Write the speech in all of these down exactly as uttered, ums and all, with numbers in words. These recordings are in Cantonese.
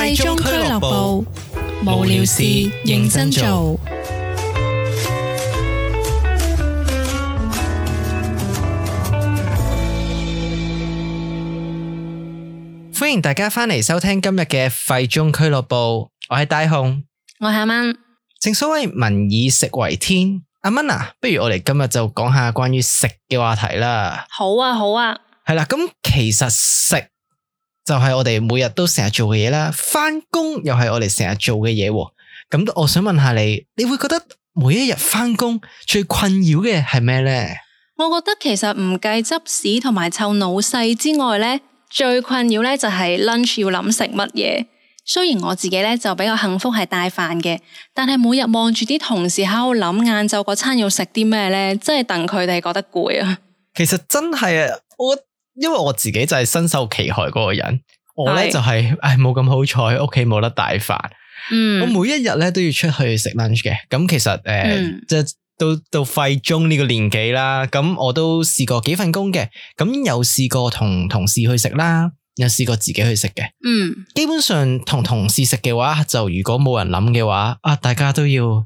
廢中俱樂部，無聊事認真做。歡迎大家翻嚟收聽今日嘅廢中俱樂部，我係大雄，我係阿蚊。正所謂民以食為天，阿蚊啊，不如我哋今日就講下關於食嘅話題啦。好啊，好啊。係啦，咁其實食就係我哋每日都成日做嘅嘢啦，翻工又係我哋成日做嘅嘢。咁我想問下你，你會覺得每一日翻工最困擾嘅係咩呢？我覺得其實唔計執屎同埋湊老細之外呢，最困擾咧就係 lunch 要諗食乜嘢。雖然我自己咧就比較幸福係帶飯嘅，但係每日望住啲同事喺度諗晏晝嗰餐要食啲咩咧，真係戥佢哋覺得攰啊。其實真係啊，我因為我自己就係身受其害嗰個人，我咧就係唉冇咁好彩，屋企冇得帶飯。嗯，我每一日咧都要出去食 lunch 嘅。咁其實誒，呃嗯、即係到到廢中呢個年紀啦，咁我都試過幾份工嘅，咁有試過同同事去食啦，有試過自己去食嘅。嗯，基本上同同事食嘅話，就如果冇人諗嘅話，啊，大家都要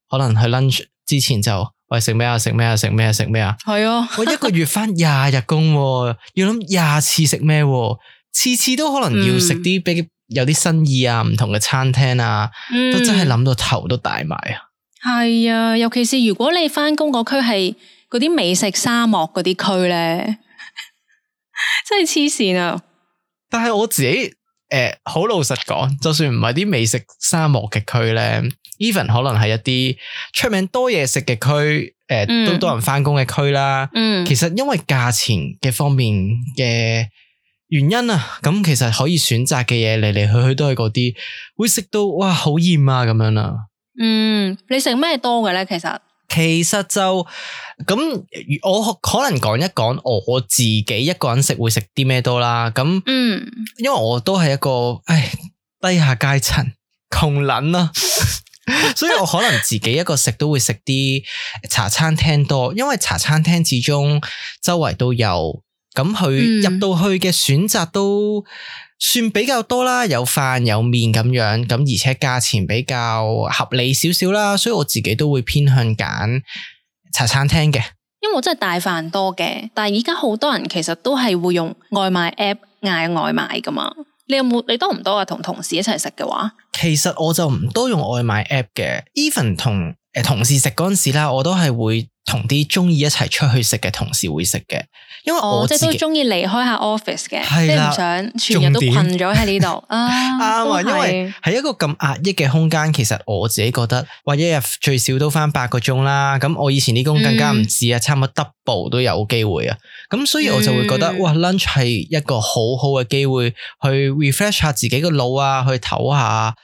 可能去 lunch 之前就喂食咩啊食咩啊食咩啊食咩啊，係啊，我一個月翻廿日工，要諗廿次食咩，次次都可能要食啲比有啲新意啊，唔同嘅餐廳啊，嗯、都真係諗到頭都大埋啊！係啊，尤其是如果你翻工嗰區係嗰啲美食沙漠嗰啲區咧，真係黐線啊！但係我自己誒，好、呃、老實講，就算唔係啲美食沙漠嘅區咧 ，even 可能係一啲出名多嘢食嘅區，誒、呃嗯、都多人翻工嘅區啦。嗯，其實因為價錢嘅方面嘅原因啊，咁其實可以選擇嘅嘢嚟嚟去去都係嗰啲，會食到哇好厭啊咁樣啦。嗯，你食咩多嘅咧？其實其實就咁，我可能講一講我自己一個人食會食啲咩多啦。咁，嗯，因為我都係一個唉低下階層窮撚啦，所以我可能自己一個食都會食啲茶餐廳多，因為茶餐廳始終周圍都有，咁佢入到去嘅選擇都算比較多啦，有飯有麵咁樣，咁而且價錢比較合理少少啦，所以我自己都會偏向揀茶餐廳嘅。因為我真係帶飯多嘅，但係而家好多人其實都係會用外賣 app 嗌外賣噶嘛。你有冇？你多唔多啊？同同事一齊食嘅話，其實我就唔多用外賣 app 嘅。even 同誒同事食嗰陣時啦，我都係會同啲中意一齊出去食嘅同事會食嘅，因為我自己、哦、即係都中意離開下 office 嘅，即係唔想全日都困咗喺呢度啊。啱啊，因為係一個咁壓抑嘅空間，其實我自己覺得，話一日最少都翻八個鐘啦。咁我以前啲工更加唔止啊，嗯、差唔多 double 都有機會啊。咁所以我就會覺得，嗯、哇 lunch 係一個好好嘅機會去 refresh 下自己個腦啊，去唞下，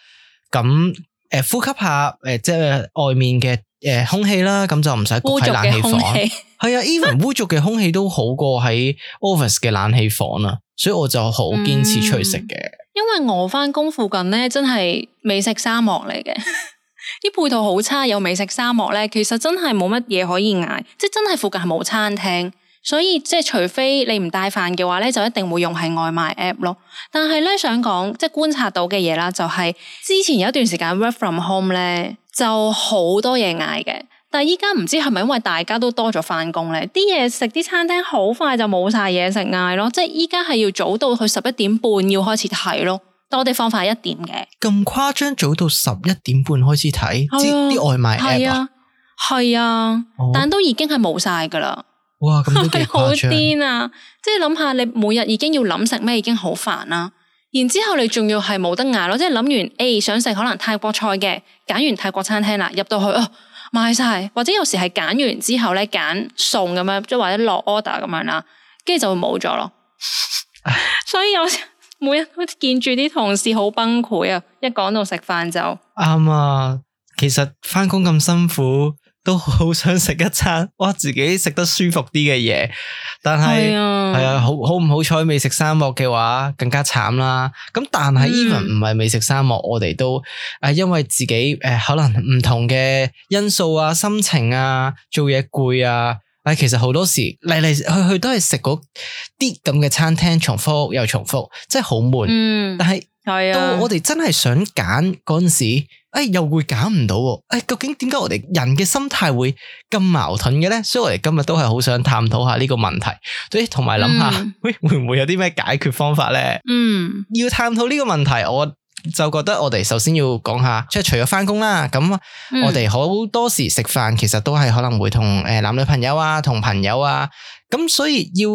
咁誒呼吸下誒、呃、即係外面嘅。誒，空氣啦，咁就唔使焗喺冷氣房。係啊，even 污濁嘅空氣都好過喺 office 嘅冷氣房啊，所以我就好堅持出去食嘅、嗯。因為我翻工附近咧，真係美食沙漠嚟嘅，啲配套好差，有美食沙漠咧，其實真係冇乜嘢可以嗌，即係真係附近係冇餐廳，所以即係除非你唔帶飯嘅話咧，就一定會用係外賣 app 咯。但係咧想講，即係觀察到嘅嘢啦，就係之前有一段時間 work from home 咧。就好多嘢嗌嘅，但係依家唔知係咪因為大家都多咗翻工咧，啲嘢食啲餐廳好快就冇晒嘢食嗌咯，即係依家係要早到去十一點半要開始睇咯，但我哋放快一點嘅。咁誇張，早到十一點半開始睇啲外賣 app 啊？係啊，哦、但都已經係冇晒噶啦。哇，咁都幾誇張。好癲啊！即係諗下，你每日已經要諗食咩，已經好煩啦。然之後你仲要係冇得嗌咯，即係諗完 A 想食可能泰國菜嘅，揀完泰國餐廳啦，入到去哦買晒，或者有時係揀完之後咧揀餸咁樣，即係或者落 order 咁樣啦，跟住就會冇咗咯。所以有時每日都見住啲同事好崩潰啊！一講到食飯就啱啊，其實翻工咁辛苦。都好想食一餐，哇！自己食得舒服啲嘅嘢，但係係啊，係啊，好好唔好彩美食沙漠嘅話更加慘啦。咁但係 even 唔係美食沙漠，我哋都誒因為自己誒、呃、可能唔同嘅因素啊、心情啊、做嘢攰啊，誒其實好多時嚟嚟去去都係食嗰啲咁嘅餐廳，重複又重複，真係好悶。嗯，但係係啊，到我哋真係想揀嗰陣時，誒、哎、又會揀唔到，誒、哎、究竟點解我哋人嘅心態會咁矛盾嘅咧？所以我哋今日都係好想探討下呢個問題，所以同埋諗下，喂、嗯、會唔會有啲咩解決方法咧？嗯，要探討呢個問題，我就覺得我哋首先要講下，即係除咗翻工啦，咁我哋好多時食飯其實都係可能會同誒男女朋友啊，同朋友啊，咁所以要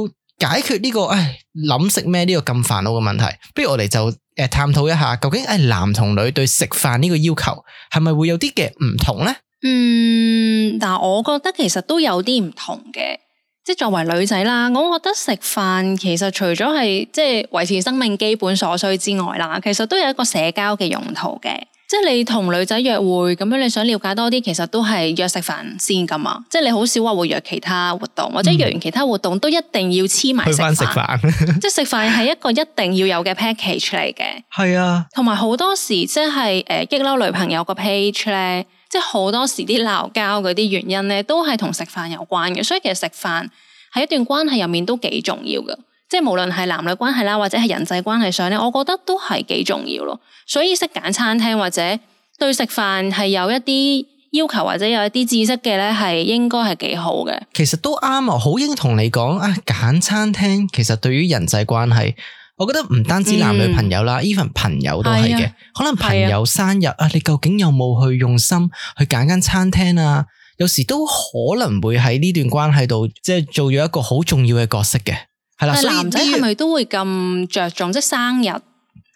解決呢、這個誒諗食咩呢個咁煩惱嘅問題，不如我哋就誒探討一下，究竟誒男同女對食飯呢個要求係咪會有啲嘅唔同咧？嗯，但係我覺得其實都有啲唔同嘅，即係作為女仔啦，我覺得食飯其實除咗係即係維持生命基本所需之外啦，其實都有一個社交嘅用途嘅。即係你同女仔約會咁樣，你想了解多啲，其實都係約食飯先噶嘛。即係你好少話會約其他活動，或者約完其他活動都一定要黐埋食飯。去返食飯，即係食飯係一個一定要有嘅 package 嚟嘅。係啊，同埋好多時即係誒激嬲女朋友個 page 咧，即係好多時啲鬧交嗰啲原因咧，都係同食飯有關嘅。所以其實食飯喺一段關係入面都幾重要嘅。即係無論係男女關係啦，或者係人際關係上咧，我覺得都係幾重要咯。所以識揀餐廳或者對食飯係有一啲要求或者有一啲知識嘅咧，係應該係幾好嘅。其實都啱啊，好應同你講啊，揀餐廳其實對於人際關係，我覺得唔單止男女朋友啦 even、嗯、朋友都係嘅。可能朋友生日啊，你究竟有冇去用心去揀間餐廳啊？有時都可能會喺呢段關係度，即係做咗一個好重要嘅角色嘅。係啦，但係男仔係咪都會咁着重？即係生日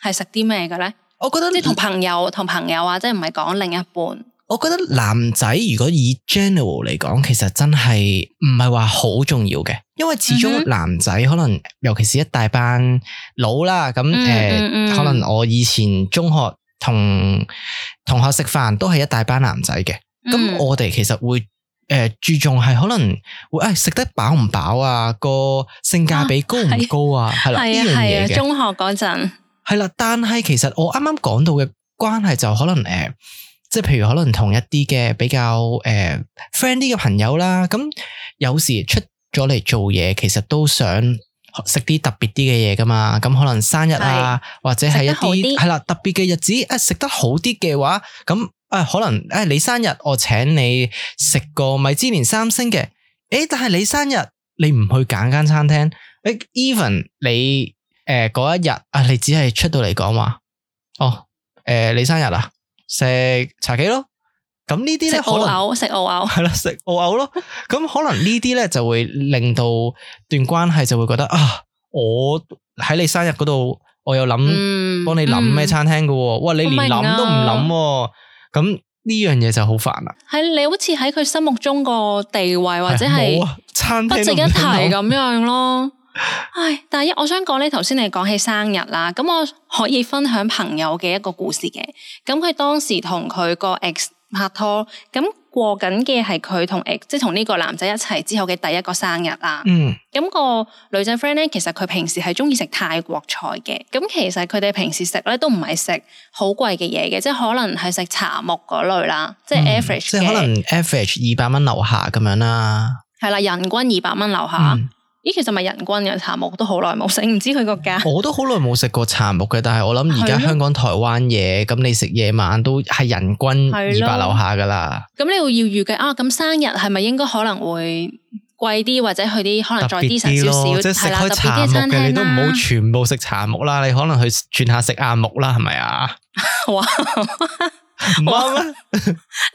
係食啲咩嘅咧？我覺得即係同朋友同朋友啊，即係唔係講另一半。我覺得男仔如果以 general 嚟講，其實真係唔係話好重要嘅，因為始終男仔可能尤其是一大班佬啦，咁誒、嗯嗯嗯呃，可能我以前中學同同學食飯都係一大班男仔嘅，咁、嗯、我哋其實會。誒、呃，注重係可能會誒食得飽唔飽啊，個性價比高唔高啊，係啦呢樣嘢嘅。中學嗰陣係啦，但係其實我啱啱講到嘅關係就可能誒、呃，即係譬如可能同一啲嘅比較誒 friend 啲嘅朋友啦，咁有時出咗嚟做嘢，其實都想食啲特別啲嘅嘢噶嘛，咁可能生日啊，或者係一啲係啦特別嘅日子，誒食得好啲嘅話，咁。啊，可能誒，你生日我請你食個米芝蓮三星嘅，誒，但係你生日你唔去揀間餐廳，誒 ，even 你誒嗰、呃、一日啊，你只係出到嚟講話，哦，誒、呃，你生日啊，食茶記咯，咁呢啲咧可能食澳牛，係啦，食澳牛咯，咁可能呢啲咧就會令到段關係就會覺得啊，我喺你生日嗰度，我有諗幫你諗咩餐廳噶，嗯、哇，你連諗都唔諗。咁呢樣嘢就好煩啦，係你好似喺佢心目中個地位或者係不值一提咁樣咯。唉，但係我想講咧，頭先你講起生日啦，咁我可以分享朋友嘅一個故事嘅。咁佢當時同佢個 ex 拍拖，咁過緊嘅係佢同 ex 即係同呢個男仔一齊之後嘅第一個生日啦。嗯，咁個女仔 friend 咧，其實佢平時係中意食泰國菜嘅。咁其實佢哋平時食咧都唔係食好貴嘅嘢嘅，即係可能係食茶木嗰類啦，即係 average 嘅。即係可能 average 二百蚊樓下咁樣啦。係啦，人均二百蚊樓下。嗯咦，其實咪人均嘅茶木都好耐冇食，唔知佢個價。我都好耐冇食過茶木嘅，但係我諗而家香港、台灣嘢，咁你食夜晚都係人均二百樓下噶啦。咁你會要預計啊？咁生日係咪應該可能會貴啲，或者去啲可能再啲神少少，即係食開茶木嘅，你都唔好全部食茶木啦，你可能去轉下食亞木啦，係咪啊？哇！唔啱咩？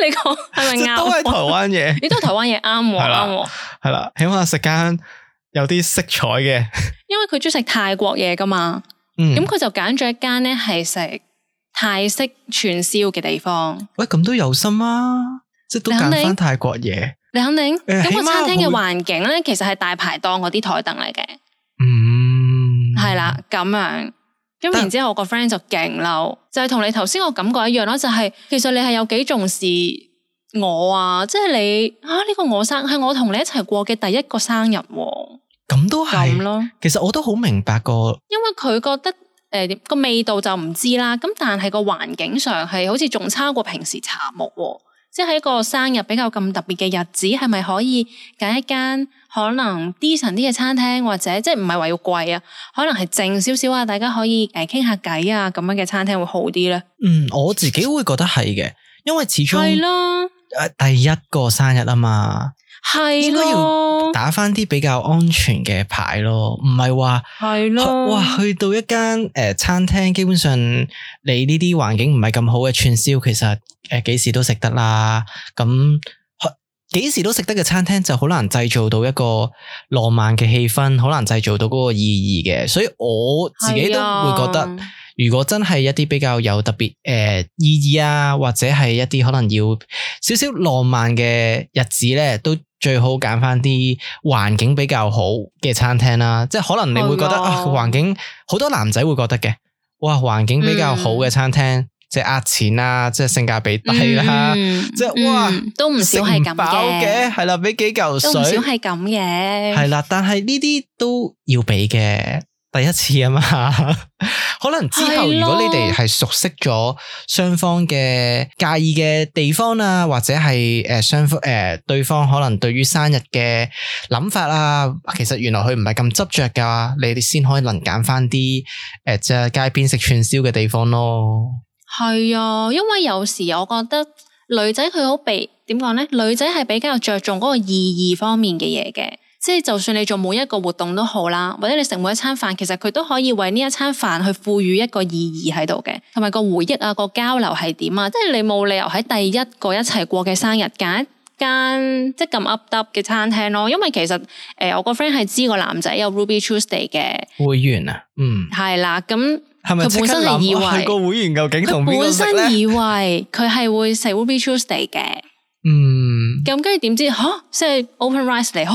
你講係咪啱？都係台灣嘢，你都係台灣嘢啱喎，啱喎。係啦，起碼食間有啲色彩嘅，因為佢中意食泰國嘢噶嘛，咁佢、嗯、就揀咗一間咧係食泰式串燒嘅地方。喂，咁都有心啊，即係都揀翻泰國嘢。你肯定？咁、呃、個餐廳嘅環境咧，其實係大排檔嗰啲台凳嚟嘅。嗯，係啦，咁樣。咁然之後我個 friend 就勁嬲，就係、是、同你頭先個感覺一樣咯，就係、是、其實你係有幾重視我啊，即係你啊呢、這個我生係我同你一齊過嘅第一個生日、啊。咁都係咯，其實我都好明白個，因為佢覺得誒個、呃、味道就唔知啦，咁但係個環境上係好似仲差過平時茶木，即係一個生日比較咁特別嘅日子，係咪可以揀一間可能 decent 啲嘅餐廳，或者即係唔係話要貴啊，可能係靜少少啊，大家可以誒傾下偈啊咁樣嘅餐廳會好啲咧？嗯，我自己會覺得係嘅，因為始終係咯，誒第一個生日啊嘛。係應該要打返啲比較安全嘅牌咯，唔係話係咯，哇去到一間誒、呃、餐廳，基本上你呢啲環境唔係咁好嘅串燒，其實誒幾、呃、時都食得啦。咁幾時都食得嘅餐廳就好難製造到一個浪漫嘅氣氛，好難製造到嗰個意義嘅。所以我自己都會覺得，如果真係一啲比較有特別誒、呃、意義啊，或者係一啲可能要少少浪漫嘅日子咧，都最好揀翻啲環境比較好嘅餐廳啦。即係可能你會覺得啊，環境好多男仔會覺得嘅，哇，環境比較好嘅餐廳。嗯即係呃錢啦，即係性價比低啦，嗯、即係哇，嗯、都唔少係咁嘅，係啦，俾幾嚿水，都唔少係咁嘅，係啦，但係呢啲都要俾嘅，第一次啊嘛，可能之後如果你哋係熟悉咗雙方嘅介意嘅地方啊，或者係誒雙方誒對方可能對於生日嘅諗法啊，其實原來佢唔係咁執着噶，你哋先可以能揀翻啲誒即係街邊食串燒嘅地方咯。係啊，因為有時我覺得女仔佢好被點講咧，女仔係比較着重嗰個意義方面嘅嘢嘅，即係就算你做每一個活動都好啦，或者你食每一餐飯，其實佢都可以為呢一餐飯去賦予一個意義喺度嘅，同埋個回憶啊，個交流係點啊，即係你冇理由喺第一個一齊過嘅生日揀一間即係咁 up up 嘅餐廳咯，因為其實誒、呃、我個 friend 係知個男仔有 Ruby Tuesday 嘅會員啊，嗯，係啦，咁。佢本身係以為個會員究竟同邊個食咧？佢本身以為佢係會食 Ruby Tuesday 嘅，嗯，咁跟住點知吓，即係 open rice 嚟，吓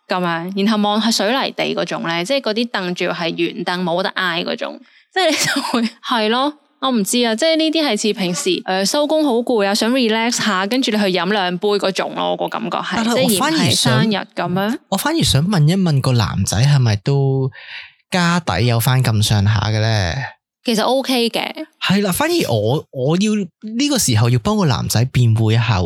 咁樣，然後望係水泥地嗰種咧，即係嗰啲凳住係圓凳，冇得挨嗰種，即係你就會係咯，我唔知啊，即係呢啲係似平時誒收工好攰啊，想 relax 下，跟住你去飲兩杯嗰種咯，我個感覺係，即係而唔係生日咁樣。我反而想問一問個男仔係咪都？家底有翻咁上下嘅咧，其實 OK 嘅，係啦。反而我我要呢個時候要幫個男仔辯護一下，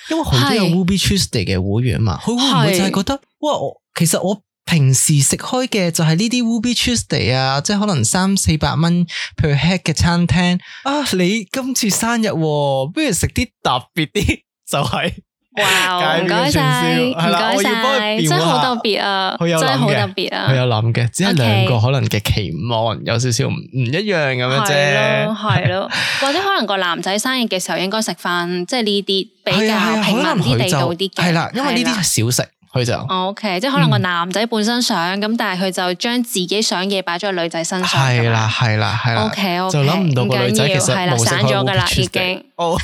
因為好多有 Ruby Tuesday 嘅會員嘛，佢會唔會就係覺得哇，我其實我平時食開嘅就係呢啲 Ruby Tuesday 啊，即係可能三四百蚊 per head 嘅餐廳啊，你今次生日，不如食啲特別啲，就係。哇！唔該晒，唔該晒，真係好特別啊！真係好特別啊！佢有諗嘅，只係兩個可能嘅期望有少少唔唔一樣咁樣啫。係咯，係咯，或者可能個男仔生日嘅時候應該食翻即係呢啲比較平民啲、地道啲嘅。係啦，因為呢啲係小食，佢就 OK，即係可能個男仔本身想咁，但係佢就將自己想嘢擺咗喺女仔身上。係啦，係啦，係啦。OK OK，就諗唔到個女仔其實係啦，散咗噶啦，已經。哦。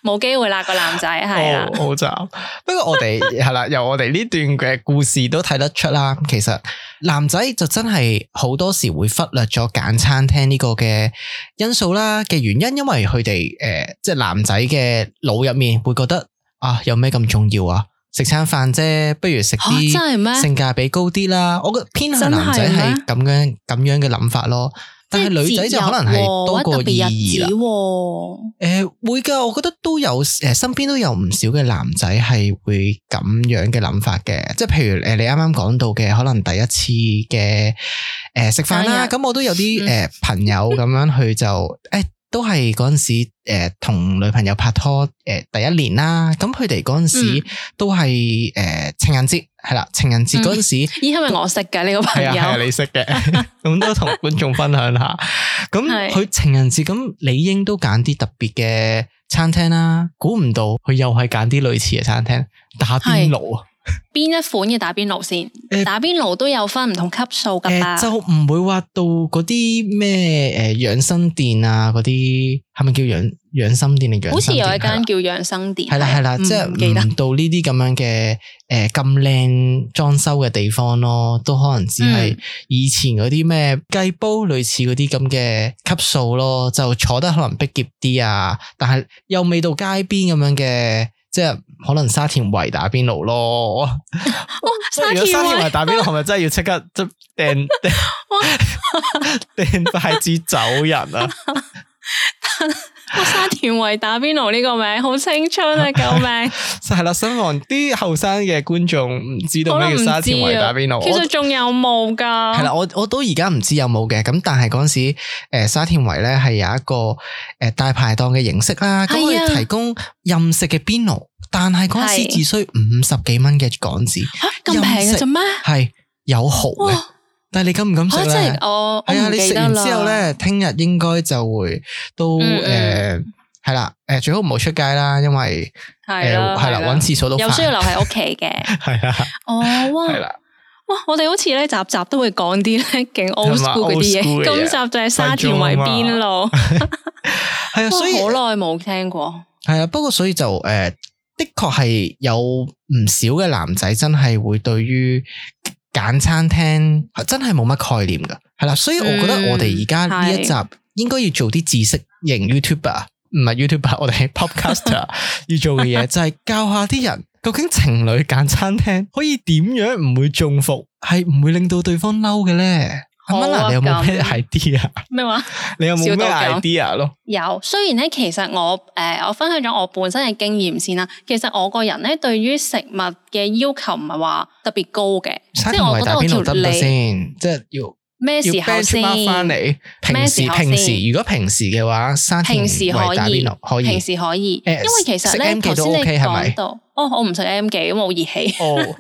冇機會啦，個男仔係啦，好慘。不過我哋係啦，由我哋呢段嘅故事都睇得出啦。其實男仔就真係好多時會忽略咗揀餐廳呢個嘅因素啦嘅原因，因為佢哋誒，即係男仔嘅腦入面會覺得啊，有咩咁重要啊？食餐飯啫，不如食啲性價比高啲啦。我覺得偏向男仔係咁樣咁樣嘅諗法咯。但係女仔就可能係多個意義啦。誒、呃，會噶，我覺得都有誒，身邊都有唔少嘅男仔係會咁樣嘅諗法嘅。即係譬如誒，你啱啱講到嘅，可能第一次嘅誒食飯啦，咁、呃、我都有啲誒、呃、朋友咁樣，佢就誒。欸都係嗰陣時誒同、呃、女朋友拍拖誒、呃、第一年啦，咁佢哋嗰陣時都係誒、呃、情人節係啦，情人節嗰陣時，咦係咪我識嘅呢個朋友？係啊，係你識嘅，咁都同觀眾分享下。咁佢情人節咁理應都揀啲特別嘅餐廳啦，估唔到佢又係揀啲類似嘅餐廳，打邊爐啊！邊一款嘅打邊爐先？呃、打邊爐都有分唔同級數噶嘛、呃？就唔會話到嗰啲咩誒養生店啊，嗰啲係咪叫養養生店定養生店？好似有一間叫養生店。係啦係啦，即係唔到呢啲咁樣嘅誒咁靚裝修嘅地方咯，都可能只係以前嗰啲咩雞煲類似嗰啲咁嘅級數咯，就坐得可能逼仄啲啊，但係又未到街邊咁樣嘅。即係可能沙田圍打邊爐咯，哇！如果沙田圍打邊爐，係咪真係要即刻即掟掟掟筷子走人啊？沙田圍打邊爐呢個名好青春啊！救命！係啦，希望啲後生嘅觀眾唔知道咩叫沙田圍打邊爐。其實仲有冇噶？係啦，我我都而家唔知有冇嘅。咁但係嗰陣時，誒、呃、沙田圍咧係有一個誒、呃、大排檔嘅形式啦。咁佢、啊、提供任食嘅邊爐，但係嗰陣時只需五十幾蚊嘅港紙。吓，咁平嘅啫咩？係有蠔嘅。但係你敢唔敢食咧？係啊，你食完之後咧，聽日應該就會都誒係啦，誒最好唔好出街啦，因為誒係啦，搵廁所都有需要留喺屋企嘅。係啊，哦，哇，係啦，哇，我哋好似咧集集都會講啲咧勁 old school 嗰啲嘢，今集就係沙田圍邊爐。係啊，所以好耐冇聽過。係啊，不過所以就誒的確係有唔少嘅男仔真係會對於揀餐廳真係冇乜概念噶，係啦，所以我覺得我哋而家呢一集應該要做啲知識型 YouTuber， 唔係 YouTuber， 我哋係 Podcaster 要做嘅嘢就係教下啲人究竟情侶揀餐廳可以點樣唔會中伏，係唔會令到對方嬲嘅咧。阿蚊啊，你有冇咩 idea？ 咩話？你有冇咩 idea 咯？有，雖然咧，其實我誒、呃，我分享咗我本身嘅經驗先啦。其實我個人咧，對於食物嘅要求唔係話特別高嘅，即係我覺得我條脷先，即係要咩時候先翻嚟？平時平時，如果平時嘅話，沙田圍打邊爐可以，平時可以，因為其實咧，頭先你講到。哦，我唔食 M 記，咁我好熱氣。哦，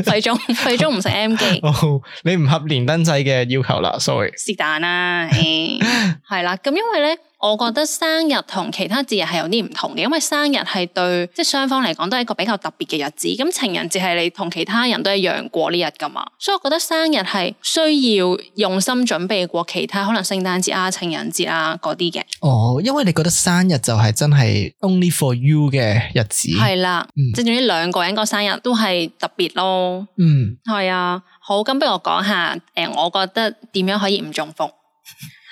廢中廢中唔食 M 記。哦，你唔合連登仔嘅要求啦 ，sorry。是但啦，係啦，咁因為咧，我覺得生日同其他節日係有啲唔同嘅，因為生日係對即係雙方嚟講都係一個比較特別嘅日子。咁情人節係你同其他人都一樣過呢日噶嘛，所以我覺得生日係需要用心準備過其他可能聖誕節啊、情人節啊嗰啲嘅。哦，因為你覺得生日就係真係 only for you 嘅日子。係啦。即係總之兩個人個生日都係特別咯，嗯，係啊，好，咁不如我講下，誒、呃，我覺得點樣可以唔中伏？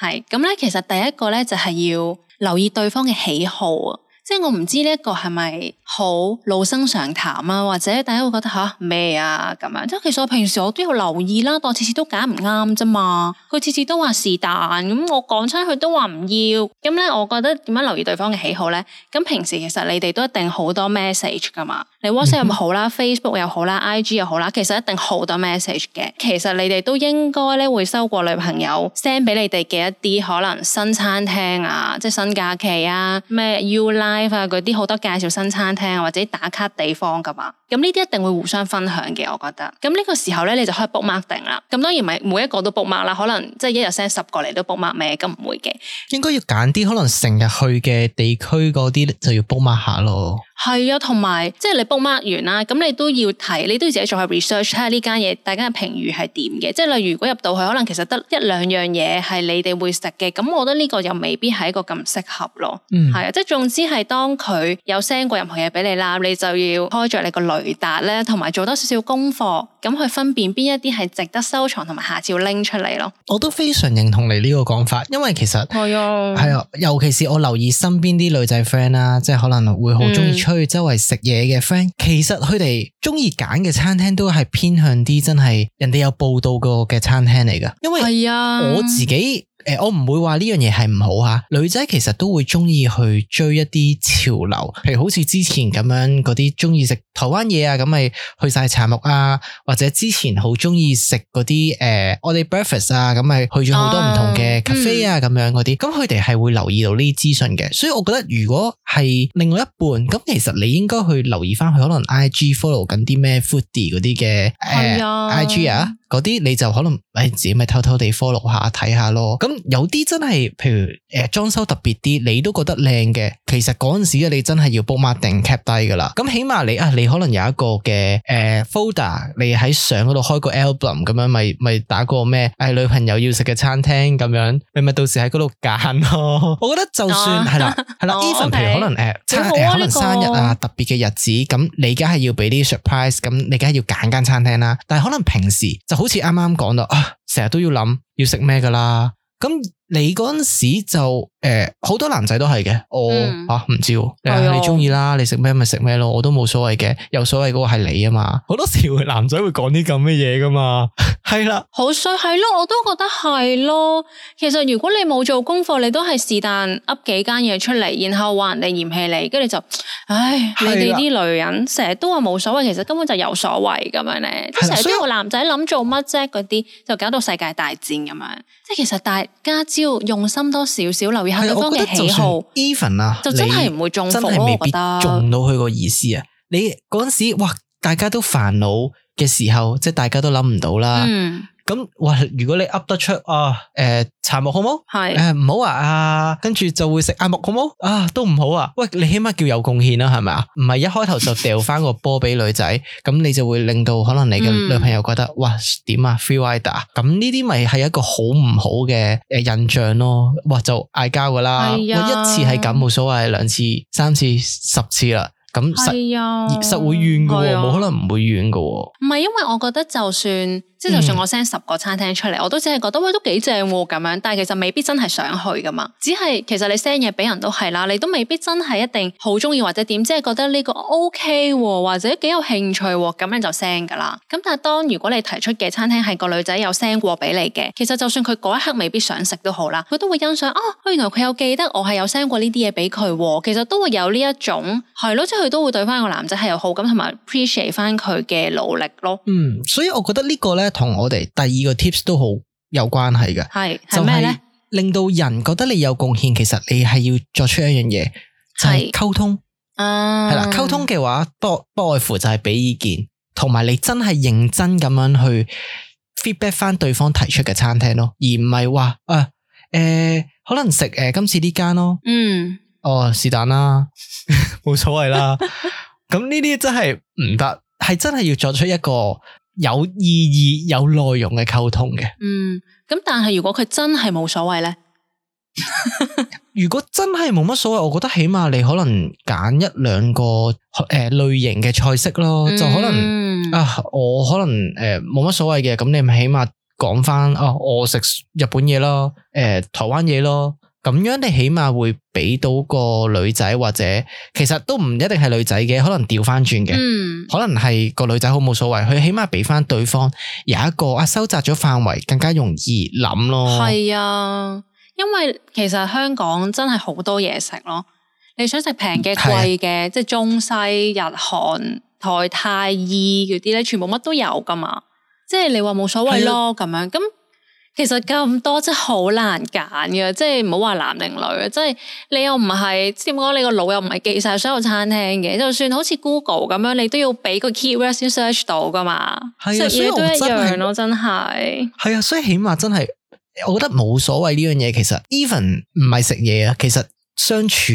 係咁咧，其實第一個咧就係要留意對方嘅喜好啊，即係我唔知呢一個係咪好老生常談啊，或者大家會覺得吓咩啊咁樣，即係其實我平時我都有留意啦，但我次次都揀唔啱啫嘛，佢次次都話是但，咁我講親佢都話唔要，咁咧我覺得點樣留意對方嘅喜好咧？咁平時其實你哋都一定好多 message 噶嘛，你 WhatsApp 又好啦、嗯、Facebook 又好啦、I G 又好啦，其實一定好多 message 嘅。其實你哋都應該咧會收過女朋友 send 俾你哋嘅一啲可能新餐廳啊，即係新假期啊，咩 U Live 啊嗰啲好多介紹新餐廳啊或者打卡地方噶嘛。咁呢啲一定會互相分享嘅，我覺得。咁呢個時候咧，你就可以 book mark 定啦。咁當然唔係每一個都 book mark 啦，可能即係一日 send 十個嚟都 book mark 咩？咁唔會嘅。應該要揀啲可能成日去嘅地區嗰啲就要 book mark 下咯。係啊，同埋即係你 book mark 完啦，咁你都要睇，你都要自己做下 research，睇下呢間嘢大家嘅評語係點嘅。即係例如如果入到去，可能其實得一兩樣嘢係你哋會食嘅，咁我覺得呢個又未必係一個咁適合咯。嗯，係啊，即係總之係當佢有 send 過任何嘢俾你啦，你就要開着你個雷達咧，同埋做多少少功課，咁去分辨邊一啲係值得收藏，同埋下次要拎出嚟咯。我都非常認同你呢個講法，因為其實係啊，係啊，尤其是我留意身邊啲女仔 friend 啦，即係可能會好中意出去周圍食嘢嘅 friend，其實佢哋中意揀嘅餐廳都係偏向啲真係人哋有報道過嘅餐廳嚟噶，因為係啊，我自己。誒、呃，我唔會話呢樣嘢係唔好吓，女仔其實都會中意去追一啲潮流，譬如好似之前咁樣嗰啲中意食台灣嘢啊，咁咪去晒茶木啊，或者之前好中意食嗰啲誒，我哋 breakfast 啊，咁咪去咗好多唔同嘅 cafe 啊，咁、嗯、樣嗰啲，咁佢哋係會留意到呢啲資訊嘅，所以我覺得如果係另外一半，咁其實你應該去留意翻佢可能 I G follow 緊啲咩 foodie 嗰啲嘅誒 I G 啊。嗰啲你就可能誒自己咪偷偷地 follow 下睇下咯。咁有啲真係譬如誒裝修特別啲，你都覺得靚嘅，其實嗰陣時你真係要 book mark 定 cap 低噶啦。咁起碼你啊，你可能有一個嘅誒、呃、folder，你喺相嗰度開個 album 咁樣，咪咪打個咩誒、哎、女朋友要食嘅餐廳咁樣，你咪到時喺嗰度揀咯。我覺得就算係啦係啦 even 譬如可能誒餐誒可能生日啊特別嘅日子，咁你梗係要俾啲 surprise，咁你梗係要揀間餐廳啦。但係可能平時就好似啱啱講到啊，成日都要諗要食咩噶啦，咁你嗰陣時就誒好、呃、多男仔都係嘅，我吓唔知，誒你中意啦，你食咩咪食咩咯，我都冇所謂嘅，有所謂嗰個係你啊嘛，好多時會男仔會講啲咁嘅嘢噶嘛，係啦，好衰係咯，我都覺得係咯。其實如果你冇做功課，你都係是但噏幾間嘢出嚟，然後話人哋嫌棄你，跟住就，唉，你哋啲女人成日都話冇所謂，其實根本就有所謂咁樣咧，即係成日都個男仔諗做乜啫嗰啲，就搞到世界大戰咁樣。即係其實大家只要用心多少少，留意下對方嘅喜好 ，even 啊，就真係唔會中伏咯。真係未必中到佢個意思啊！你嗰陣時，哇，大家都煩惱嘅時候，即係大家都諗唔到啦。嗯。咁哇！如果你噏得出啊，誒、呃，柴木好冇？係誒，唔好啊！啊，跟住就會食艾木好冇？啊，都唔好啊！喂，你起碼叫有貢獻啦，係咪啊？唔係一開頭就掉翻個波俾女仔，咁你就會令到可能你嘅女朋友覺得，嗯、哇，點啊 free rider，咁呢啲咪係一個好唔好嘅誒印象咯？哇，就嗌交噶啦，我、哎、呀一次係咁冇所謂，兩次、三次、十次啦。咁實、啊、實會怨噶，冇、啊、可能唔會怨噶。唔係，因為我覺得就算即係就算我 send 十個餐廳出嚟，嗯、我都只係覺得喂都幾正咁樣，但係其實未必真係想去噶嘛。只係其實你 send 嘢俾人都係啦，你都未必真係一定好中意或者點，即係覺得呢個 OK 或者幾有興趣咁樣就 send 噶啦。咁但係當如果你提出嘅餐廳係個女仔有 send 過俾你嘅，其實就算佢嗰一刻未必想食都好啦，佢都會欣賞啊，原來佢有記得我係有 send 過呢啲嘢俾佢，其實都會有呢一種係咯，即係佢都會對翻個男仔係有好感同埋 appreciate 翻佢嘅努力咯。嗯，所以我覺得呢個咧同我哋第二個 tips 都好有關係嘅。係係咩咧？令到人覺得你有貢獻，其實你係要作出一樣嘢，就係、是、溝通。啊，係啦，溝通嘅話，不不外乎就係俾意見，同埋你真係認真咁樣去 feedback 翻對方提出嘅餐廳咯，而唔係話啊誒、呃，可能食誒、呃、今次呢間咯。嗯，哦是但啦，冇所謂啦。咁呢啲真係唔得，係真係要作出一個有意義、有內容嘅溝通嘅。嗯，咁但係如果佢真係冇所謂咧，如果真係冇乜所謂，我覺得起碼你可能揀一兩個誒、呃、類型嘅菜式咯，嗯、就可能啊，我可能誒冇乜所謂嘅，咁你咪起碼講翻啊，我食日本嘢咯，誒、呃、台灣嘢咯。咁樣你起碼會俾到個女仔，或者其實都唔一定係女仔嘅，可能調翻轉嘅，嗯、可能係個女仔好冇所謂，佢起碼俾翻對方有一個啊收窄咗範圍，更加容易諗咯。係啊，因為其實香港真係好多嘢食咯，你想食平嘅、貴嘅，即係中西日韓台泰意嗰啲咧，全部乜都有噶嘛，即係你話冇所謂咯咁樣咁。其實咁多真係好難揀嘅，即係唔好話男定女啊！即係你又唔係點講，你個腦又唔係記晒所有餐廳嘅，就算好似 Google 咁樣，你都要俾個 keyword 先 search 到噶嘛。係啊，食嘢都一樣咯，真係。係啊，所以起碼真係，我覺得冇所謂呢樣嘢。其實 even 唔係食嘢啊，其實相處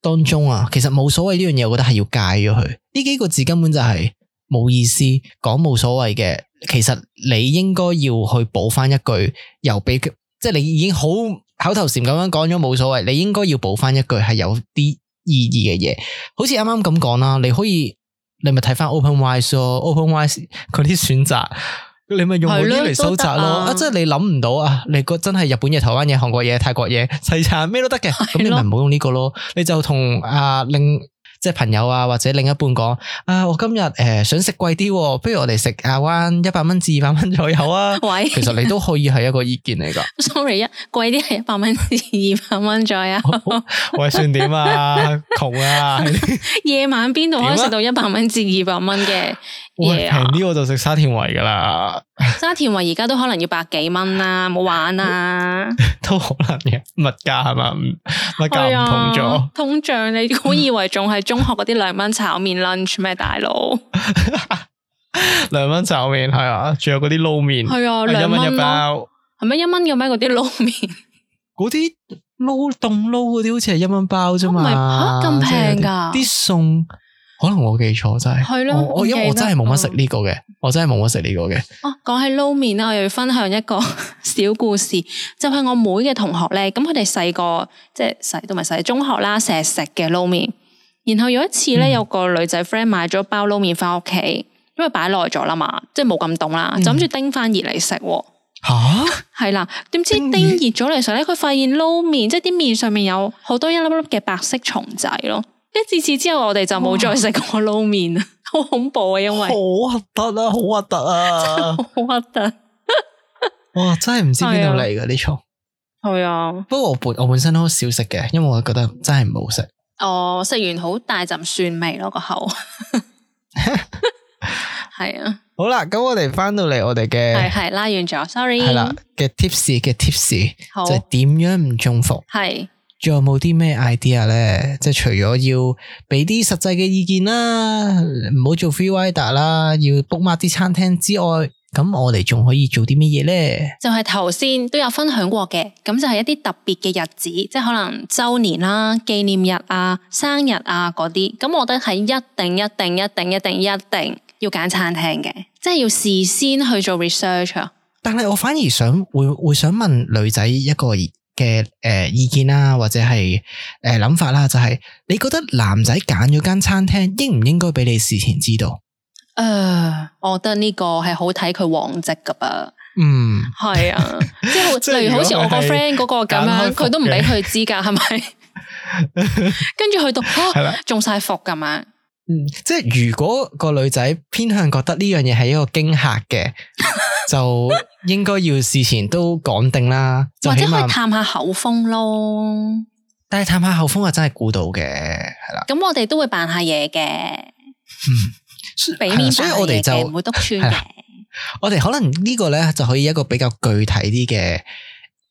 當中啊，其實冇所謂呢樣嘢，我覺得係要戒咗佢。呢幾個字根本就係冇意思，講冇所謂嘅。其實你應該要去補翻一句，又俾即係你已經好口頭禪咁樣講咗冇所謂，你應該要補翻一句係有啲意義嘅嘢，好似啱啱咁講啦，你可以你咪睇翻 OpenWise 咯 ，OpenWise 嗰啲選擇，你咪用嗰啲嚟搜集咯，啊，即係你諗唔到啊，你個真係日本嘢、台灣嘢、韓國嘢、泰國嘢、西餐咩都得嘅，咁你咪唔好用呢個咯，你就同啊另。即係朋友啊，或者另一半講啊，我今日誒、呃、想食貴啲，不如我哋食亞灣一百蚊至二百蚊左右啊。喂，其實你都可以係一個意見嚟噶。Sorry，一貴啲係一百蚊至二百蚊左右。喂，算點啊？窮啊！夜晚邊度可以食到一百蚊至二百蚊嘅嘢啊？平啲我就食沙田圍噶啦。沙田圍而家都可能要百幾蚊啦，冇玩啊！都可能嘅，物價係嘛？物價唔同咗、啊，通脹你估以為仲係中學嗰啲兩蚊炒麵 lunch 咩？大佬，兩蚊炒麵係啊，仲有嗰啲撈麵係啊，兩蚊一包，係咪一蚊嘅咩？嗰啲撈麵，嗰啲撈凍撈嗰啲好似係一蚊包啫嘛，吓咁平噶？啲餸可能我記錯真係，係咯，我因為我真係冇乜食呢個嘅，我真係冇乜食呢個嘅。哦，講起撈麵啦，我又要分享一個小故事，就係我妹嘅同學咧，咁佢哋細個即係細都唔係細中學啦，成日食嘅撈麵。然後有一次咧，有個女仔 friend 買咗包撈麵翻屋企，因為擺耐咗啦嘛，即係冇咁凍啦，就諗住叮翻熱嚟食。吓，係啦，點知叮熱咗嚟時候咧，佢發現撈麵即係啲麵上面有好多一粒粒嘅白色蟲仔咯。跟自此之後，我哋就冇再食過撈麵啊，好恐怖啊！因為好核突啊，好核突啊，好核突。哇，真係唔知邊度嚟嘅啲蟲。係啊，不過我本我本身都好少食嘅，因為我覺得真係唔好食。哦，食完好大陣蒜味咯個口。係啊，好啦，咁我哋翻到嚟我哋嘅係係拉遠咗 ，sorry。係啦嘅 tips 嘅 tips 好就係點樣唔中伏。係，仲有冇啲咩 idea 咧？即係除咗要俾啲實際嘅意見啦，唔好做 free rider 啦，要 book mark 啲餐廳之外，咁我哋仲可以做啲乜嘢咧？就係頭先都有分享過嘅，咁就係一啲特別嘅日子，即係可能周年啦、紀念日啊、生日啊嗰啲，咁我覺得係一定、一定、一定、一定、一定要揀餐廳嘅，即係要事先去做 research 啊。但係我反而想會會想問女仔一個嘅誒、呃、意見啦，或者係誒諗法啦，就係、是、你覺得男仔揀咗間餐廳應唔應該俾你事前知道？誒、呃，我覺得呢個係好睇佢往績噶噃。嗯，係啊，即係例如好似我個 friend 嗰個咁樣，佢都唔俾佢知噶，係咪？跟住去到啊，中晒伏咁樣。嗯，即係如果個女仔偏向覺得呢樣嘢係一個驚嚇嘅，就應該要事前都講定啦，或者可以探下口風咯。但係探下口風啊，真係估到嘅，係啦。咁我哋都會扮下嘢嘅，嗯，俾面扮所以我哋就唔會督穿嘅。我哋可能呢個咧就可以一個比較具體啲嘅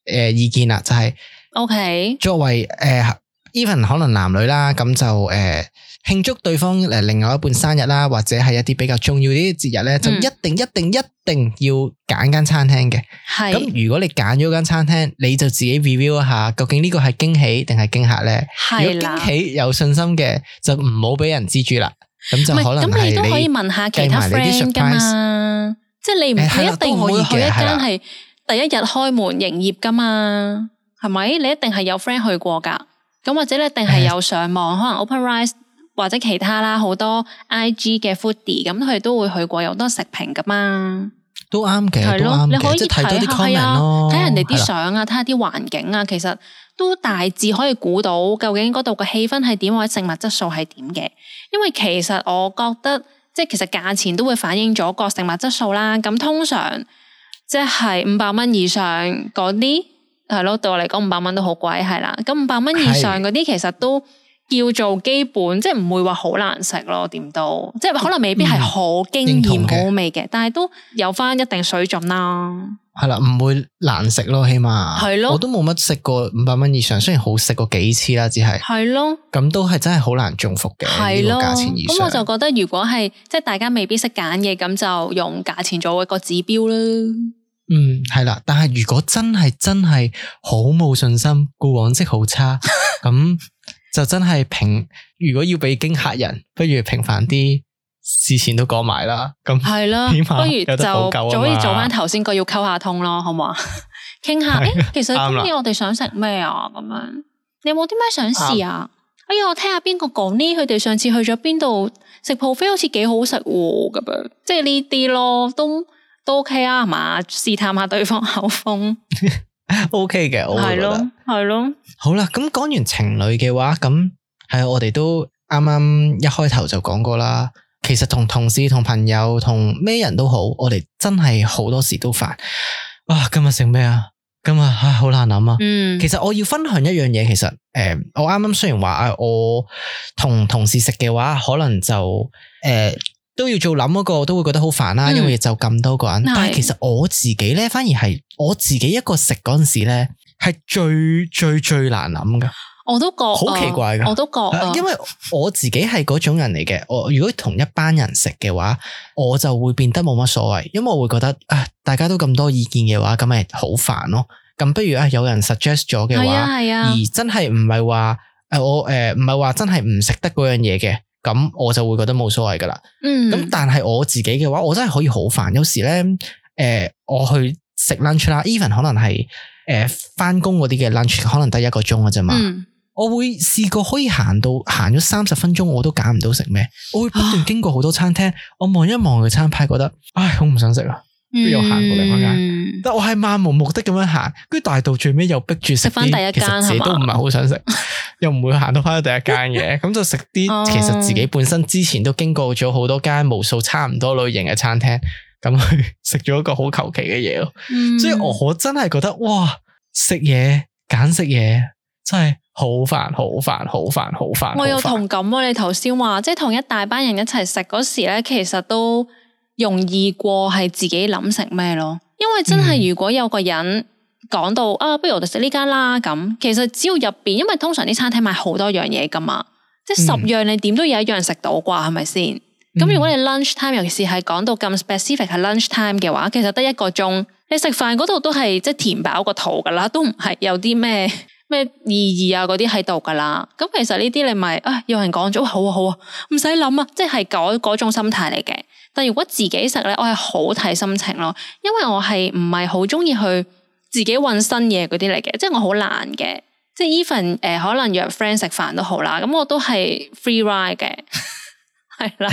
誒意見啦，就係、是、OK 作為誒 even 可能男女啦，咁就誒。呃慶祝對方誒另外一半生日啦，或者係一啲比較重要啲節日咧，就一定一定一定要揀間餐廳嘅。係咁，如果你揀咗間餐廳，你就自己 review 一下，究竟呢個係驚喜定係驚嚇咧？係如果驚喜有信心嘅，就唔好俾人知住啦。咁就可能係你都可以問下其他 friend 噶嘛，即係你唔一定會去一間係第一日開門營業噶嘛，係咪？你一定係有 friend 去過噶，咁或者你一定係有上網，可能 OpenRice。或者其他啦，好多 I G 嘅 foodie 咁，佢都會去過，有好多食評噶嘛，都啱嘅，係咯，你可以睇下係啊，睇人哋啲相啊，睇下啲環境啊，其實都大致可以估到究竟嗰度嘅氣氛係點，或者食物質素係點嘅。因為其實我覺得，即係其實價錢都會反映咗個食物質素啦。咁通常即係五百蚊以上嗰啲，係咯，對我嚟講五百蚊都好貴，係啦。咁五百蚊以上嗰啲，其實都叫做基本，即係唔會話好難食咯，點都，即係可能未必係好驚艷好好味嘅，但係都有翻一定水準啦。係啦，唔會難食咯，起碼係咯，我都冇乜食過五百蚊以上，雖然好食過幾次啦，只係係咯，咁都係真係好難中伏嘅呢個價錢以上。咁我就覺得如果係即係大家未必識揀嘅，咁就用價錢做一個指標啦。嗯，係啦，但係如果真係真係好冇信心，個往績好差，咁。就真係平，如果要俾驚嚇人，不如平凡啲，事前都講埋啦。咁係啦，不如就就可以做翻頭先個要溝下通咯，好唔好啊？傾下，誒、欸，其實今年我哋想食咩啊？咁樣，你有冇啲咩想試啊？哎呀，我聽下邊個講呢？佢哋上次去咗邊度食 buffet 好似幾好食喎，咁樣，即係呢啲咯，都都 OK 啊，係嘛？試探下對方口風。O K 嘅，我覺得係咯，係咯。好啦，咁講完情侶嘅話，咁係我哋都啱啱一開頭就講過啦。其實同同事、同朋友、同咩人都好，我哋真係好多時都煩。啊，今日食咩啊？今日唉，好難諗啊。嗯，其實我要分享一樣嘢，其實誒、呃，我啱啱雖然話啊，我同同事食嘅話，可能就誒。呃都要做諗嗰個，都會覺得好煩啦，因為就咁多個人。嗯、但係其實我自己咧，反而係我自己一個食嗰陣時咧，係最最最難諗噶。我都覺好奇怪噶，我都覺，因為我自己係嗰種人嚟嘅。我如果同一班人食嘅話，我就會變得冇乜所謂，因為我會覺得啊，大家都咁多意見嘅話，咁咪好煩咯。咁不如啊，有人 suggest 咗嘅話，啊啊、而真係唔係話誒我誒唔係話真係唔食得嗰樣嘢嘅。咁我就會覺得冇所謂噶啦。嗯，咁但係我自己嘅話，我真係可以好煩。有時咧，誒、呃，我去食 lunch 啦 ，even 可能係誒翻工嗰啲嘅 lunch，可能得一個鐘嘅啫嘛。嗯、我會試過可以行到行咗三十分鐘，我都揀唔到食咩。我會不斷經過好多餐廳，啊、我望一望個餐牌，覺得唉，好唔想食啊。跟住又行過另外一間，嗯、但我係漫無目的咁樣行，跟住大到最尾又逼住食翻第一間，其實自己都唔係好想食，又唔會行到翻去第一間嘅，咁就食啲其實自己本身之前都經過咗好多間無數差唔多類型嘅餐廳，咁去食咗一個好求其嘅嘢咯。嗯、所以我真係覺得哇，食嘢揀食嘢真係好煩，好煩，好煩，好煩。我有同感啊！你頭先話即係同一大班人一齊食嗰時咧，其實都容易過係自己諗食咩咯。因為真係如果有個人講到、嗯、啊，不如我哋食呢間啦咁，其實只要入邊，因為通常啲餐廳賣好多樣嘢噶嘛，即係十樣你點都有一樣食到啩，係咪先？咁、嗯、如果你 lunch time， 尤其是係講到咁 specific 係 lunch time 嘅話，其實得一個鐘，你食飯嗰度都係即係填飽個肚噶啦，都唔係有啲咩咩意義啊嗰啲喺度噶啦。咁其實呢啲你咪啊，有人講咗好啊好啊，唔使諗啊，即係嗰嗰種心態嚟嘅。但如果自己食咧，我係好睇心情咯，因為我係唔係好中意去自己搵新嘢嗰啲嚟嘅，即係我好懶嘅，即係 even 誒可能約 friend 食飯都好啦，咁我都係 free ride 嘅，係啦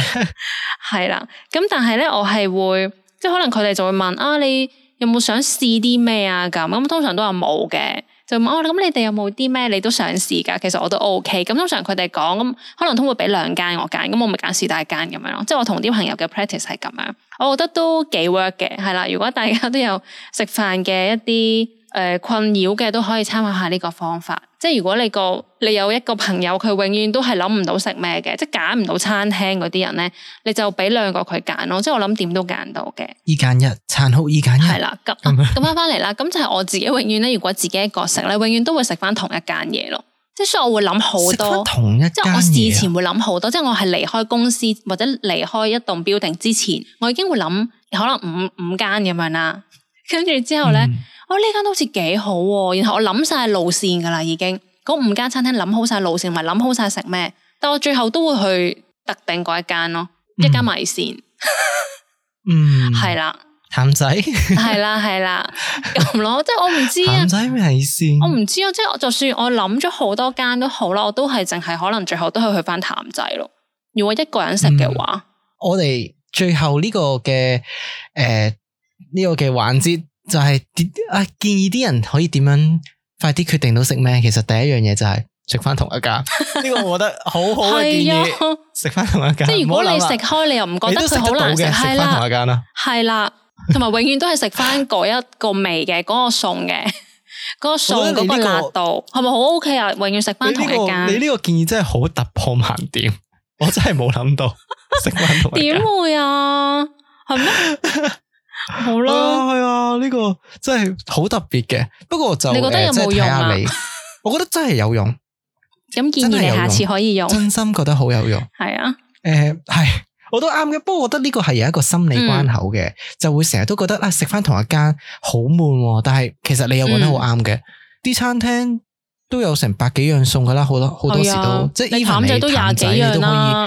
係啦，咁但係咧我係會即係可能佢哋就會問啊，你有冇想試啲咩啊咁，咁通常都話冇嘅。就問我咁，你哋有冇啲咩你都想試噶？其實我都 OK。咁通常佢哋講咁，可能都會俾兩間我揀，咁我咪揀試大間咁樣咯。即係我同啲朋友嘅 practice 係咁樣，我覺得都幾 work 嘅，係啦。如果大家都有食飯嘅一啲誒、呃、困擾嘅，都可以參考下呢個方法。即係如果你個你有一個朋友，佢永遠都係諗唔到食咩嘅，即係揀唔到餐廳嗰啲人咧，你就俾兩個佢揀咯。即係我諗點都揀到嘅。二揀一，殘酷二揀一。係啦，咁咁翻翻嚟啦，咁就係我自己永遠咧，如果自己一個食咧，永遠都會食翻同一間嘢咯。即係所以我會諗好多，同一間嘢。即係我事前會諗好多，即係我係離開公司或者離開一棟 building 之前，我已經會諗可能五五間咁樣啦。跟住之後咧。嗯我呢間都好似幾好，然後我諗晒路線噶啦，已經嗰五間餐廳諗好晒路線，同埋諗好晒食咩，但我最後都會去特定嗰一間咯，嗯、一間米線，嗯，係啦，譚仔，係啦係啦咁咯，即係我唔知啊，譚仔米線，我唔知啊，即係就算我諗咗好多間都好啦，我都係淨係可能最後都係去翻譚仔咯。如果一個人食嘅話，嗯、我哋最後呢個嘅誒呢個嘅環節。就係啊，建議啲人可以點樣快啲決定到食咩？其實第一樣嘢就係食翻同一間，呢個我覺得好好嘅建議。食翻同一間，即係如果你食開，你又唔覺得佢好難食，係啦，同一間啦，係啦，同埋永遠都係食翻嗰一個味嘅，嗰個餸嘅，嗰個餸嗰個辣度係咪好 OK 啊？永遠食翻同一間。你呢個建議真係好突破盲點，我真係冇諗到食翻同一間。點會啊？係咩？好啦，係啊，呢、這個真係好特別嘅。不過就你覺得有冇用啊？你我覺得真係有用。咁建議你下次可以用，真心覺得好有用。係啊，誒係、呃，我都啱嘅。不過我覺得呢個係有一個心理關口嘅，嗯、就會成日都覺得啊，食翻同一間好悶。但係其實你又覺得好啱嘅，啲、嗯、餐廳都有成百幾樣餸噶啦，好多好多時都、啊、即係 even 你譚仔你都可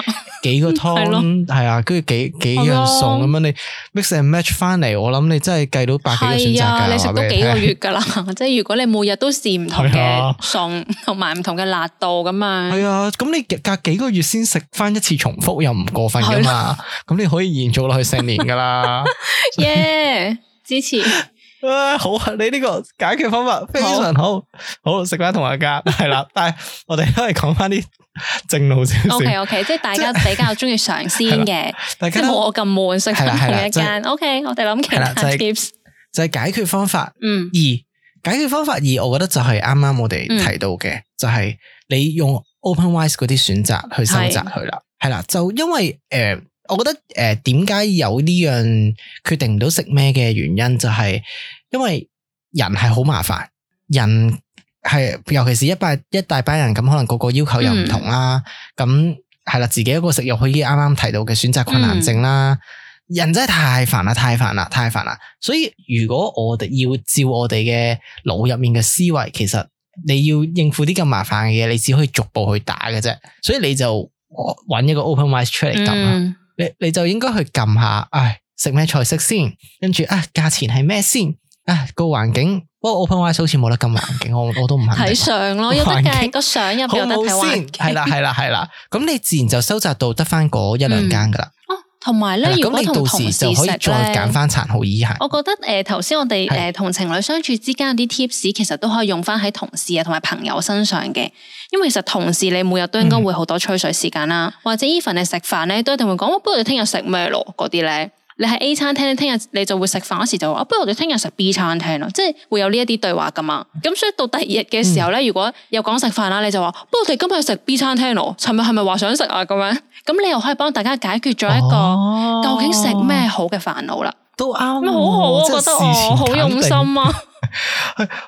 以。幾個湯係啊，跟住幾幾樣餸咁樣，你 mix and match 翻嚟，我諗你真係計到百幾個選擇噶。你食到幾個月噶啦，即係如果你每日都試唔同嘅餸，同埋唔同嘅辣度咁啊。係啊，咁你隔幾個月先食翻一次重複又唔過分噶嘛？咁你可以延續落去成年噶啦。耶，支持。啊，好啊！你呢個解決方法非常好，好食翻同一間係啦。但係我哋都係講翻啲正路少少。O K O K，即係大家比較中意嘗鮮嘅，即係冇我咁悶食翻同一間。O K，我哋諗其他 tips 就係解決方法。嗯，二解決方法二，我覺得就係啱啱我哋提到嘅，就係你用 OpenRice 嗰啲選擇去收集佢啦。係啦，就因為誒。我覺得誒，點解有呢樣決定唔到食咩嘅原因，就係因為人係好麻煩，人係尤其是一班一大班人咁，可能個個要求又唔同啦。咁係啦，自己一個食肉，可以啱啱提到嘅選擇困難症啦。嗯、人真係太煩啦，太煩啦，太煩啦。所以如果我哋要照我哋嘅腦入面嘅思維，其實你要應付啲咁麻煩嘅嘢，你只可以逐步去打嘅啫。所以你就揾一個 OpenRice 出嚟撳啦。嗯你你就應該去撳下，唉，食咩菜式先，跟住啊，價錢係咩先，啊個環境，不過 OpenRice 好似冇得撳環境，我我都唔肯定。睇相咯，有得計個相入邊有得睇環境。係啦係啦係啦，咁你自然就收集到得翻嗰一兩間噶啦。哦，同埋咧，如果同同事食咧，就可以再揀翻殘酷以下。我覺得誒頭先我哋誒同情侶相處之間有啲 tips，其實都可以用翻喺同事啊同埋朋友身上嘅。因為其實同事你每日都應該會好多吹水時間啦，嗯、或者 even 你食飯咧都一定會講，不如你聽日食咩咯？嗰啲咧，你喺 A 餐廳，你聽日你就會食飯嗰時就話，不如我哋聽日食 B 餐廳咯，即係會有呢一啲對話噶嘛。咁所以到第二日嘅時候咧，嗯、如果有講食飯啦，你就話，不如我哋今日食 B 餐廳咯。尋日係咪話想食啊？咁樣，咁你又可以幫大家解決咗一個、哦、究竟食咩好嘅煩惱啦。都啱、啊，好好啊，我覺得我好用心啊。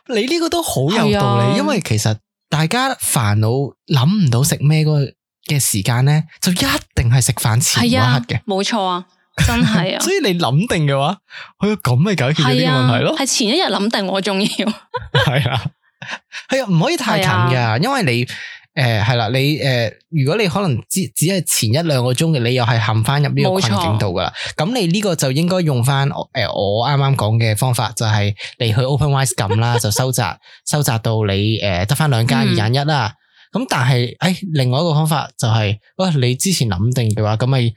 你呢個都好有道理，啊、因為其實。大家煩惱諗唔到食咩嗰嘅時間咧，就一定係食飯前嗰刻嘅，冇錯啊，真係啊。所以你諗定嘅話，佢咁咪解決咗呢個問題咯。係前一日諗定，我仲要係啊，係啊，唔可以太近噶，啊、因為你誒係啦，你誒、呃、如果你可能只只係前一兩個鐘嘅，你又係陷翻入呢個困境度噶啦。咁錯你呢個就應該用翻誒我啱啱講嘅方法，就係、是、你去 OpenRice 撳啦，就收窄收窄到你誒得翻兩間二揀一啦。咁、嗯、但係誒、哎、另外一個方法就係、是，喂、呃、你之前諗定嘅話，咁咪誒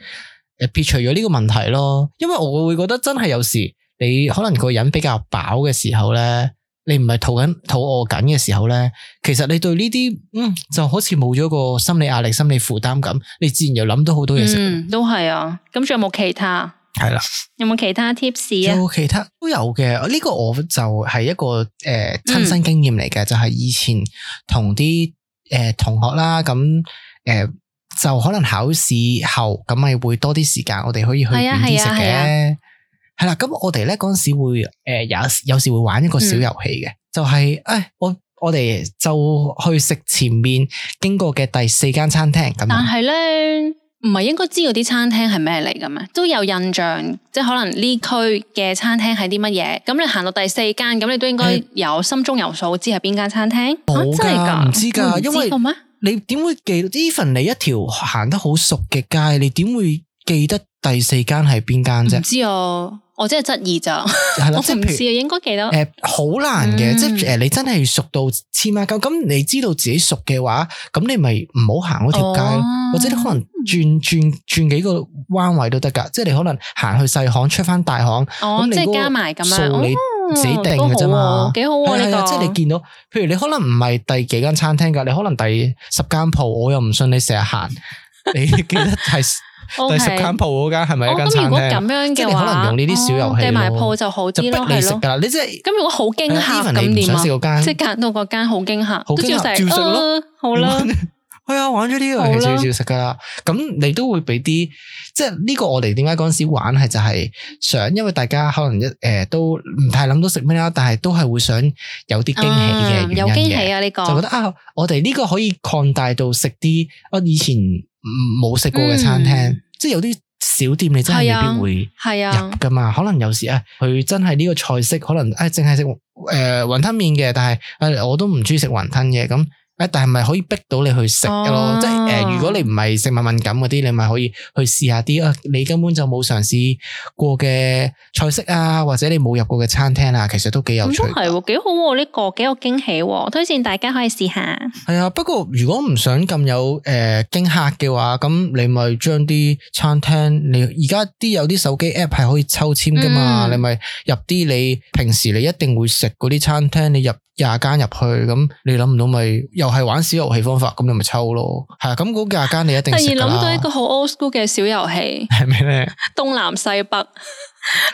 撇除咗呢個問題咯。因為我會覺得真係有時你可能個人比較飽嘅時候咧。你唔係肚緊肚餓緊嘅時候咧，其實你對呢啲嗯就好似冇咗個心理壓力、心理負擔咁，你自然又諗到好多嘢食。嗯，都係啊。咁仲有冇其他？係啦，有冇其他 tips 啊？有其他都有嘅。呢、這個我就係一個誒親、呃、身經驗嚟嘅，嗯、就係以前同啲誒同學啦，咁誒、呃、就可能考試後咁咪會多啲時間，我哋可以去遠啲食嘅。係啦，咁我哋咧嗰陣時會誒有有時會玩一個小遊戲嘅，嗯、就係、是、誒我我哋就去食前面經過嘅第四間餐廳咁。但係咧唔係應該知道啲餐廳係咩嚟嘅咩？都有印象，即係可能呢區嘅餐廳係啲乜嘢。咁你行到第四間，咁你都應該有、欸、心中有數，知係邊間餐廳。冇噶，唔、啊、知噶，因為咩？你點會記得 even 你一條行得好熟嘅街，你點會記得第四間係邊間啫？唔知啊。我真係質疑咋，我唔知啊，應該記得。誒，好難嘅，即係誒，你真係熟到黐孖筋。咁你知道自己熟嘅話，咁你咪唔好行嗰條街咯，或者你可能轉轉轉幾個彎位都得噶。即係你可能行去細巷出翻大巷，咁你加埋咁樣，數你自己定嘅啫嘛，幾好啊呢個。即係你見到，譬如你可能唔係第幾間餐廳噶，你可能第十間鋪，我又唔信你成日行，你記得係。第十間鋪嗰間係咪一間餐廳？咁如果咁樣嘅話，可能用呢啲小遊戲，計埋鋪就好啲咯，係咯。你即係咁，如果好驚嚇咁點啊？即係揀到嗰間好驚嚇，好驚嚇，照食咯。好啦，係啊，玩咗呢個遊戲照照食噶啦。咁你都會俾啲，即係呢個我哋點解嗰陣時玩係就係想，因為大家可能一誒都唔太諗到食咩啦，但係都係會想有啲驚喜嘅原因嘅。有驚喜啊！呢個就覺得啊，我哋呢個可以擴大到食啲我以前冇食過嘅餐廳，嗯、即係有啲小店你真係未必會入噶嘛。啊、可能有時啊，佢真係呢個菜式可能誒淨係食誒雲吞麵嘅，但係誒、呃、我都唔中意食雲吞嘅咁。誒，但係咪可以逼到你去食嘅咯？啊、即係誒、呃，如果你唔係食物敏感嗰啲，你咪可以去試下啲啊！你根本就冇嘗試過嘅菜式啊，或者你冇入過嘅餐廳啊，其實都幾有趣。咁係喎，幾好喎！呢、這個幾有驚喜喎，推薦大家可以試下。係啊，不過如果唔想咁有誒驚嚇嘅話，咁你咪將啲餐廳，你而家啲有啲手機 app 係可以抽籤噶嘛？嗯、你咪入啲你平時你一定會食嗰啲餐廳，你入廿間入去，咁你諗唔到咪又係玩小遊戲方法，咁你咪抽咯。係啊，咁嗰廿間你一定食噶啦。突然諗到一個好 old school 嘅小遊戲，係咩咧？東南西北，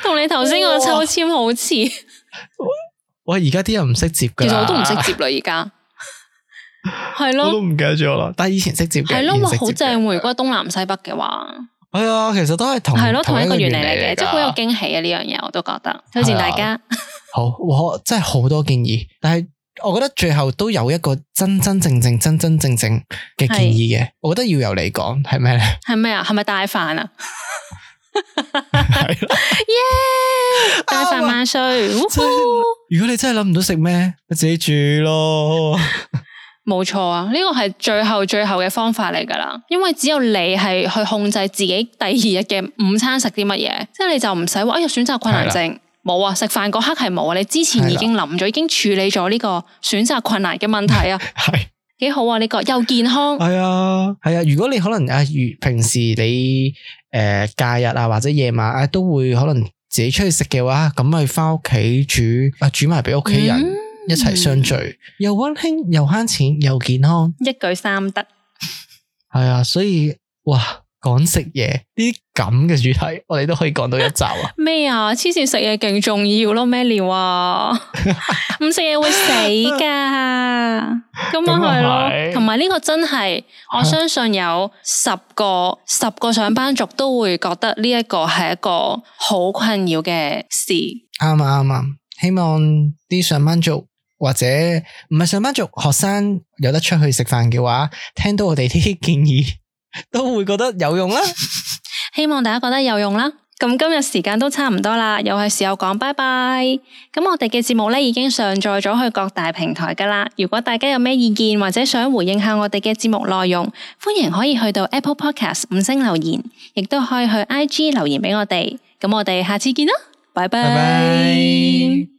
同你頭先個抽籤好似。喂，而家啲人唔識接噶，其實我都唔識接啦，而家係咯，我都唔記得咗啦。但係以前識接嘅，係咯，好正。如果東南西北嘅話，係啊，其實都係同係咯同一個原理嚟嘅，即係好有驚喜啊！呢樣嘢我都覺得推薦大家。好，我真係好多建議，但係我覺得最後都有一個真真正正、真真正正嘅建議嘅，是我覺得要由你講，係咩咧？係咩啊？係咪帶飯啊？係耶！帶飯萬歲！如果你真係諗唔到食咩，你自己煮咯。冇錯啊，呢個係最後最後嘅方法嚟噶啦，因為只有你係去控制自己第二日嘅午餐食啲乜嘢，即係你就唔使話哎呀選擇困難症。冇啊！食飯嗰刻係冇啊！你之前已經諗咗，的已經處理咗呢個選擇困難嘅問題啊。係幾好啊！呢、這個又健康，係啊係啊。如果你可能啊，如平時你誒、呃、假日啊或者夜晚啊都會可能自己出去食嘅話，咁咪翻屋企煮啊煮埋俾屋企人一齊相聚，嗯、又溫馨又慳錢又健康，一舉三得。係啊，所以哇，講食嘢呢啲咁嘅主題，我哋都可以講到一集啊！咩啊？黐線食嘢勁重要咯，咩料啊？唔食嘢會死噶，咁咪係咯。同埋呢個真係，我相信有十個十個上班族都會覺得呢一個係一個好困擾嘅事。啱啊啱啊！希望啲上班族或者唔係上班族學生有得出去食飯嘅話，聽到我哋呢啲建議都會覺得有用啦。希望大家覺得有用啦。咁今日時間都差唔多啦，又係時候講拜拜。咁我哋嘅節目咧已經上載咗去各大平台噶啦。如果大家有咩意見或者想回應下我哋嘅節目內容，歡迎可以去到 Apple Podcast 五星留言，亦都可以去 I G 留言俾我哋。咁我哋下次見啦，拜拜。拜拜。